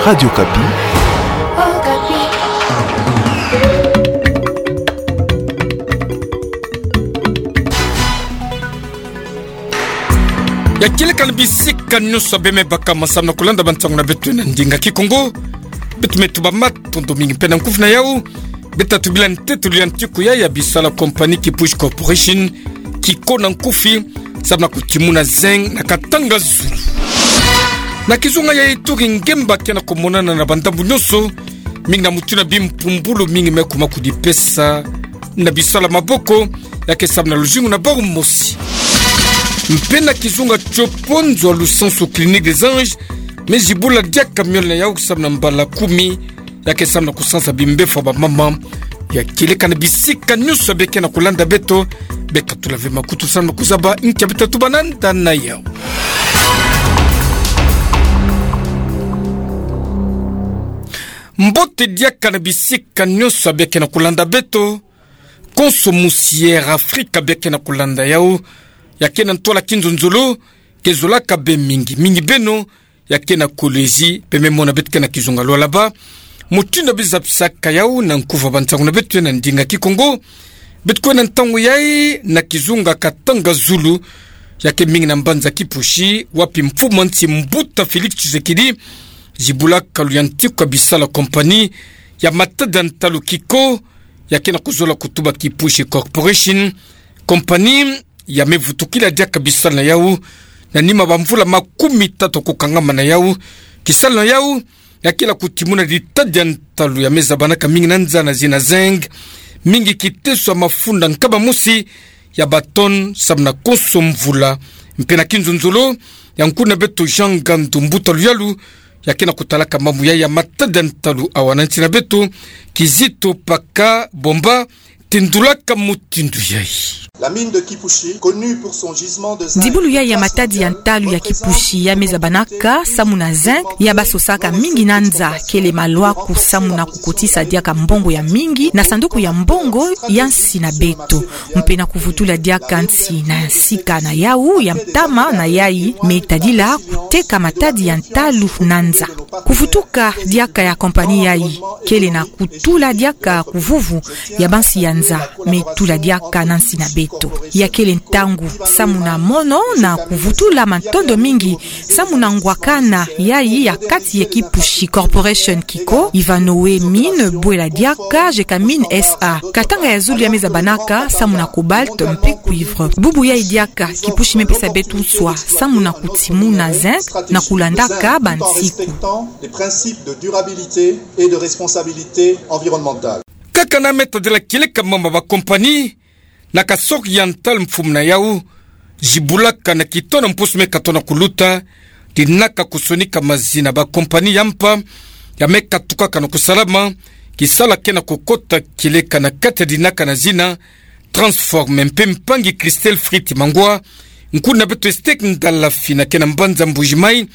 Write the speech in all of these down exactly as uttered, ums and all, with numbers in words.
Radio Okapi. Ya kieleka na bisika nyonso bê me baka ma samu na kulanda bansangu na beto na ndinga Kikongo. Beto me tuba matondo mingi mpe na nkufi na yau. Beta tubila ntetolo ya ntiku ya, ya bisala compagnie Kipushi Corporation, Kiko na nkufi, samu na kutimuna zinc na Katanga Zulu. Na kizunga ya Ituri, ngemba ke na kumonana na bandambu nyonso, mingi na mutu na bimpumbulu mingi me kuma kudipesa na bisala maboko, ya ke samu na luzingu na bau mosi. Mpe na kizunga Tshopo, nzo ya lusansu Clinique des Anges me zibula diaka miole na yau samu na mbala kumi, ya ke samu na kusansa bimbevo ya bamama. Ya kieleka na bisika nyonso bê ke na kulanda beto, beka tula ve makutu samu na kuzaba nkia beta tuba nanda na yau. Mbote diaka na bisika nyonso bê ke na kulanda beto. Konso musi Air Afrika bê ke na kulanda yau, ya ke na ntwala kinzonzolo, ke zolaka bê mingi, mingi beno ya ke na kolo ezi, bê me mona beto ke na kizunga Lualaba. Mutindu bê zabisaka yau na nkufi ya bansangu na beto na ndinga Kikongo. Beto kwenda ntangu yayi na kizunga Katanga Zulu, ya ke mingi na mbanza Kipushi, wapi mfumu a nsi Mbuta Félix Tshisekedi zibula kalu ya ntiku ya bisala compagnie ya matadi ya ntalu Kiko, ya ke na kuzola kutuba Kipushi Corporation. Compagnie ya me vutukila diaka bisala na yau na nima bamvula makumi tatu kukangama na yau. Kisala na yau ya ke la kutimuna ditadi ya ntalu ya me zabanaka mingi na nza na zina zinc, mingi kiteso ya mafunda nkaba mosi ya batonne samu na konso mvula. Mpe na kinzonzolo ya nkuna beto Jean Ngandu, mbuta luyalu ya ke na kutalaka mambu yayi ya matadi ya ntalu awa na nsi na beto, Kizito Paka Bomba, tindulaka mutindu yayi. La mine de Kipushi, connue pour son gisement de zinc. Dibulu yayi ya matadi ya ntalu ya Kipushi ya me zabanaka samu na zinc, ya basosaka mingi na nza, kele malwaku samu na kukotisa diaka mbongo ya mingi na sanduku ya mbongo ya nsi na beto, mpe na kuvutula diaka nsi na sika na yau ya ntama na yayi me tadila kuteka matadi ya ntalu na nza. Kuvutuka diaka ya compagnie yayi kele na kutula diaka kuvuvu ya bansi ya nza me tula diaka na nsi na beto. Ya kele ntangu samu na mono na kuvutula matondo mingi samu na ngwakana yayi ya kati ya Kipushi Corporation Kiko, Ivanhoe Mines, Bwela Diaka, Gécamines S A. Katanga ya Zulu ya me zabanaka samu na cobalt mpe cuivre. Bubu yayi diaka Kipushi me pesa beto nswa samu na kutimuna zinc na kulandaka bansiku. Respectant les principes de durabilité et de responsabilité environnementale. Kaka na me tadila kieleka mama ba compagnie, na Kasaï Oriental mfumu na yau zibulaka na kitono mposo me katona kuluta dinaka kusonika mazina ba compagnie ya mpa ya me katukaka na kusalama. Kisala ke na kukota kieleka na kati ya dinaka na zina Transform, mpe mpangi Christelle Fritz Mangwa, nkuna beto Estec Ndalafina ke na mbanza Mbuji-Mayi,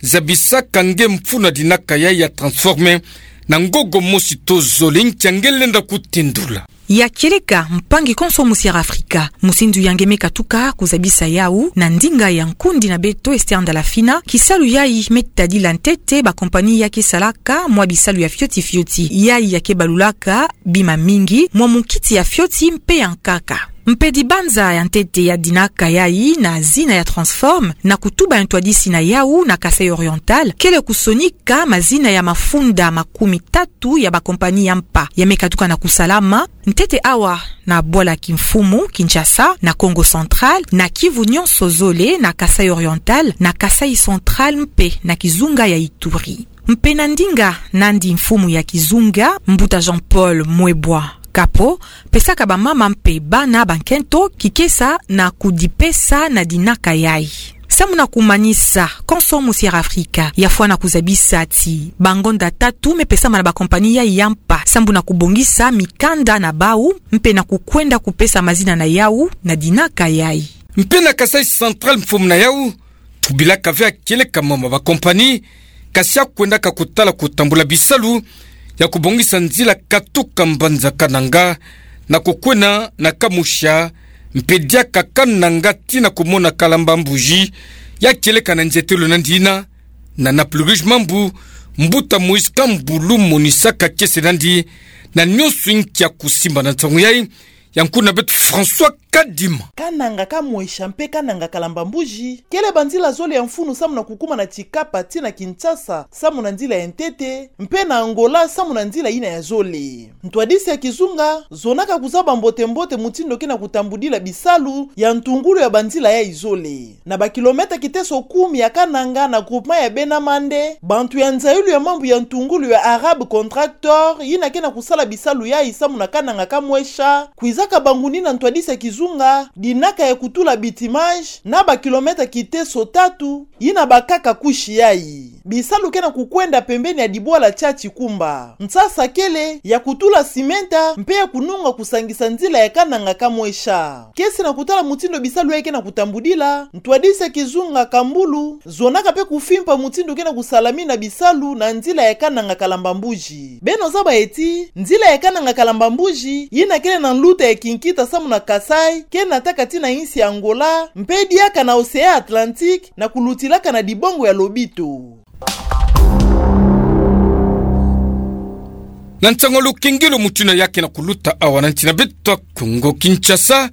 zabisaka nge mfunu ya dinaka yayi ya Transform na ngogo mosi to zole. Nkia nge lenda kutindula? Ya kieleka, mpangi konso musi Air Afrika, musi ndu ya nge me katuka kuzabisa yau na ndinga ya nkundi na beto Esther Ndalafina. Kisalu yayi me tadila ntete ba compagnie ya ke salaka mwa bisalu ya fioti fioti. Yayi ya ke balulaka bima mingi mwa munkiti ya fioti mpe ya nkaka. Mpe dibanza ya ntete ya dinaka yayi na zina ya Transform, na kutuba ya ntwadisi na yau na Kasaï Oriental, kele kusonika mazina ya mafunda makumi tatu ya ba compagnie ya mpa ya me katuka na kusalama, ntete awa na bwala kimfumu Kinshasa, na Kongo Central, na Kivu nyonso zole, na Kasaï Oriental, na Kasaï Central mpe na kizunga ya Ituri. Mpe na ndinga nandi mfumu ya kizunga, mbuta Jean-Paul Mwebwa Kapo, pesaka bamama mpe bana bankento kikesa na kudipesa na dinaka yayi. Samu na kumanisa, konso musi Air Afrika yafwana kuzabisa ti bangonda tatu me pesama na ba compagnie yayi ya mpa sambu na kubongisa mikanda na bau mpe na kukwenda kupesa mazina na yau na dinaka yayi. Mpe na Kasaï Central mfumu na yau tubilaka ve ya kieleka mama ba compagnie, kasi ya kwendaka kutala kutambula bisalu ya kubongisa nzila katuka mbanza Kananga na kukwenda na Kamwisa, mpe diaka Kananga tii na kumona Kalamba-Mbuji, ya kieleka na nzietelo nandi yina na Naples Rouge Mambu, Mbuta Moïse Kambulu monisaka kiese nandi na nionso inkia kusimba na nsangu yai, ya nkuna beto François Kadima. Kananga ka Mwesha mpe Kananga Kalamba Mbuji kele banzila zole ya mfunu samu na kukuma na Tshikapa tii na Kinshasa samu na nzila ya ntete, mpe na Angola samu na nzila yina ya zole. Ntwadisi ya kizunga zonaka kuzaba mbote-mbote mutindu ke na kutambudila bisalu ya ntungulu ya banzila yai zole. Na ba kilomètre kiteso kumi ya Kananga na groupement ya Bena Mande, bantu ya nzayulu ya mambu ya ntungulu ya Arab Contractor, yina ke na kusala bisalu yai samu na Kananga ka Mwesha, kwizaka bangunina ntwadisi ya kizunga dinaka ya kutula bitumage na ba kilomètre kiteso tatu, yina bakaka kusi yai. Bisalu ke na kukwenda pembeni ya dibwala tia Tshikumba. Nsasa kele ya kutula simenta mpe ya kununga kusangisa nzila ya Kananga ka Mwesha. Kiese na kutala mutindu bisalu yai ke na kutambudila, ntwadisi ya kizunga Kambulu zonaka mpe kufimpa mutindu ke na kusalamina bisalu na nzila ya Kananga Kalamba Mbuji. Beno zaba ti nzila ya Kananga Kalamba Mbuji, yina kele na nluta ya kinkita samu na Kasaï, ke nataka tii na insi ya Angola, mpe diaka na Océan Atlantique, na kulutilaka na dibongo ya lobito. Na nsangu ya lukengelo mutindu yai ke na kuluta awa na nsi na beto Kongo Kinshasa,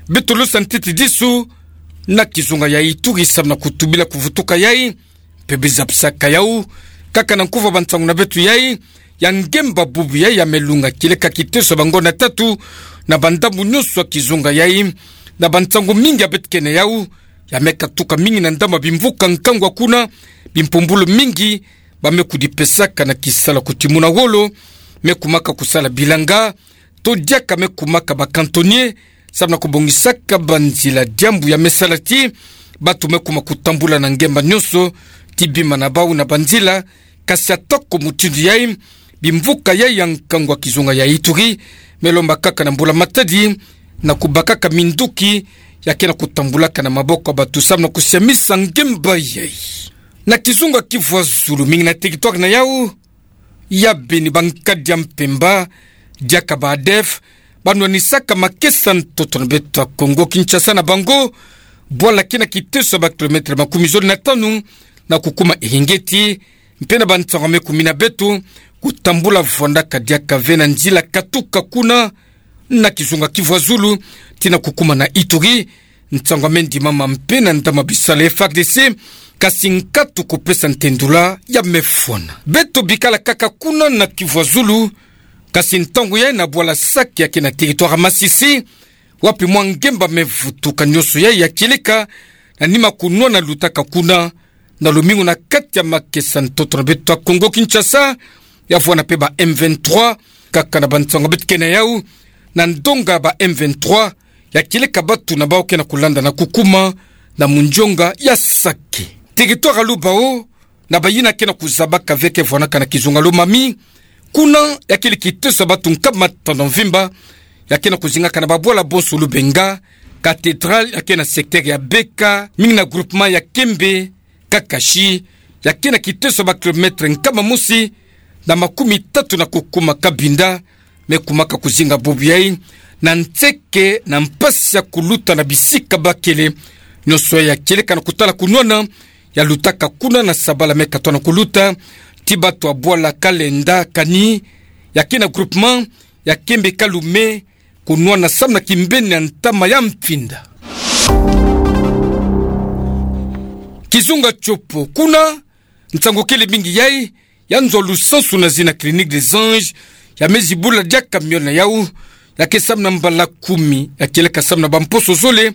beto lusa ntete disu na kizunga ya Ituri samu na kutubila kuvutuka yai, mpe bizapisaka yau kaka na nkuva ba nsangu na beto yai, ya ngemba bubu yai ya melunga kieleka kiteso ya bangonda tatu na bandambu nionso ya kizunga yai, na ba nsangu mingi ya beto ke na yau, ya me katuka mingi na ndambu ya bimvuka nkangu kuna, bimpumbulu mingi ba me kudipesaka na kisalu ya kutimuna wolo, me kumaka kusala bilanga, to diaka me kumaka ba cantonnier, samu na kubongisaka banzila, diambu ya me sala ti bantu me kuma kutambula na ngemba nionso, ti bima na bau na banzila. Kasi atako mutindu yai, bimvuka yai ya nkangu ya kizunga ya Ituri me lomba kaka na mbula matadi na kubakaka minduki ya ke na kutambulaka na maboko ya bantu samu na kusiamisa ngemba yai. Na kizunga Kivu ya Zulu, mingi na territoire na yau, ya beni ba nkadi ya mpemba, diaka ba ADF, ba nwanisaka makesa ntoto na beto ya Kongo Kinshasa na bango bwala ke na kiteso ya ba kilomètre makumi zole na tanu na kukuma Eringeti, mpe na ba nsangu ya me kumina beto, kutambula vwandaka diaka ve na nzila katuka kuna na kizunga Kivu ya Zulu tii na kukuma na Ituri. Nsangu ya me ndimama mpe na ndambu ya bisalu ya F A R D C, kasi nkatu kupesa ntendula ya me fwana. Beto bikala kaka kuna na Kivu ya Zulu, kasi ntangu yai na bwala Sake ya ke na territoire ya Masisi, wapi mwa ngemba me vutuka nionso yai ya kieleka na nima kunwana lutaka kuna na lumingu na kati ya makesa ntoto na beto ya Kongo Kinshasa, ya vwanda mpe ba M vingt-trois, kaka na ba nsangu beto ke na yau, na ndonga ba M vingt-trois ya kieleka bantu na bau ke na kulanda na kukuma na munzonga ya Sake. Territoire ya Lubao, na bayina ke na kuzabaka ve ke vwanaka na kizunga Lomami, kuna ya kele kiteso ya bantu nkama tanu ya mvimba ya ke na kuzingaka na babwala bonso Lubenga, cathédrale ya ke na secteur ya Beka, mingi na groupement ya Kembe, Kakashi, ya ke na kiteso ya ba kilomètre nkama mosi na makumi tatu na kukuma Kabinda, me kumaka kuzinga bubu yai na nseke na mpasi ya kuluta na bisika bakele. Nionso ya kieleka na kutala kunwana ya lutaka kuna na sabala me katoa na kuluta ti bantu ya bwala Kalenda Kani, ya ke na groupement ya Kembe Kalume, kunwana samu na kimbeni ya ntama ya Mfinda. Kizunga Tshopo, kuna nsangu kele mingi yai, ya nzo lusansu na zina Clinique des Anges, ya me zibula diaka miole na yau, ya ke samu na mbala kumi, ya kieleka samu na bamposo zole,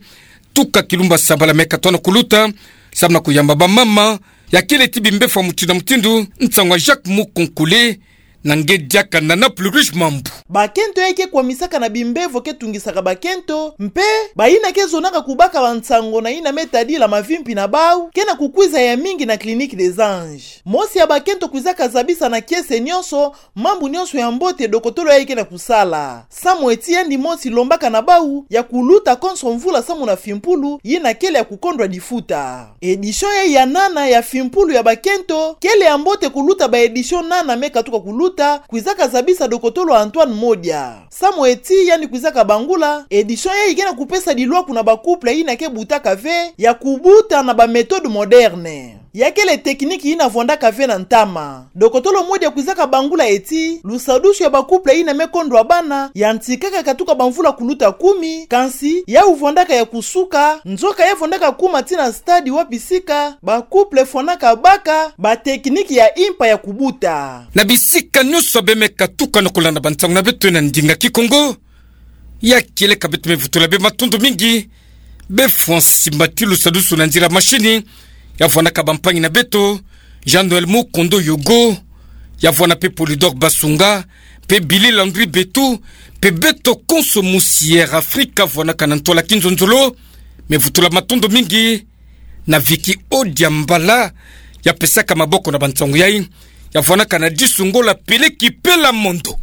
tuka kilumbu ya sabala me katoa na kuluta, samu na kuyamba bamama ya kele ti bimbevo ya mutindu na mutindu, nsangu ya Jacques Mukonkole, na nge diaka na Nana Plus Riche Mambu. Bakento yai ke kwamisaka na bimbevo ke tungisaka bakento, mpe bayina ke zonaka kubaka bansangu na yina me tadila mavimpi na bau, ke na kukwiza ya mingi na Clinique des Anges. Mosi ya bakento kwizaka zabisa na kiese nionso mambu nionso ya mbote dokotolo yai ke na kusala. Samu ti yandi mosi lombaka na bau ya kuluta konso mvula samu na fimpulu yina kele ya kukondwa difuta. Édition yai ya nana ya fimpulu ya bakento kele ya mbote kuluta ba édition nana me katuka kuluta, kwizaka zabisa dokotolo Antoine Modia. Samu ti yandi kwizaka bangula, édition yai ke na kupesa dilwaku na ba couple yina ke butaka ve ya kubuta na ba méthode moderne. Ya kele tekiniki yina vwandaka ve na ntama. Dokotolo Modi akwizaka bangula eti, lusadusu ya ba couple yina me kondwa bana yantikaka katuka bamvula kuluta kumi, kansi yawu vwandaka ya kusuka, nzoka ya vwandaka kuma tii na stade wapi sika ba couple fwanaka baka ba tekiniki ya impa ya kubuta. Na bisika nyonso be me katuka na kolanda bansangu na beto na ndinga Kikongo, ya kieleka beto me vutula bê matondo mingi. Bê fwansi mati lusadusu na nzila mashini, ya vwanaka bampangi na beto, Jean-Noël Mukondo Yogo, ya vwana pe Polydor Basunga, pe Billy Landry Betu, pe beto konso musi Air Africa vwanaka na ntwala kinzonzolo. Me vutula matondo mingi na Vicky Odiambala, ya pesaka maboko na bansangu yai, ya vwanaka na Disungola Peleki Pela Mondo.